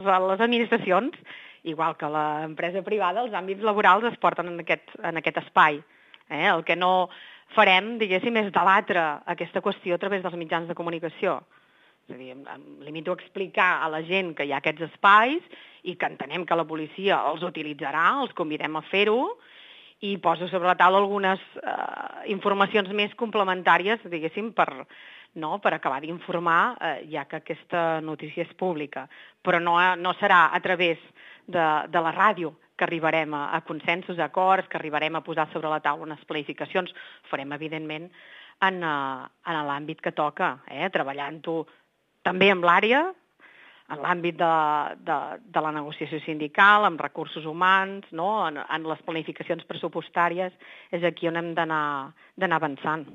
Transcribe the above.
les administracions, igual que l'empresa privada, els àmbits laborals es porten en aquest espai. El que no farem, diguéssim, és debatre aquesta qüestió a través dels mitjans de comunicació. És a dir, em limito a explicar a la gent que hi ha aquests espais i que entenem que la policia els utilitzarà, els convidem a fer-ho, i poso sobre la taula algunes informacions més complementàries, diguéssim, per acabar d'informar, ja que aquesta notícia és pública. Però no serà a través de la ràdio que arribarem a consensos, a acords, que arribarem a posar sobre la taula unes planificacions. Ho farem, evidentment, en l'àmbit que toca, treballant-ho també amb l'àrea, en l'àmbit de la negociació sindical, amb recursos humans, no? En les planificacions pressupostàries, és aquí on hem d'anar avançant.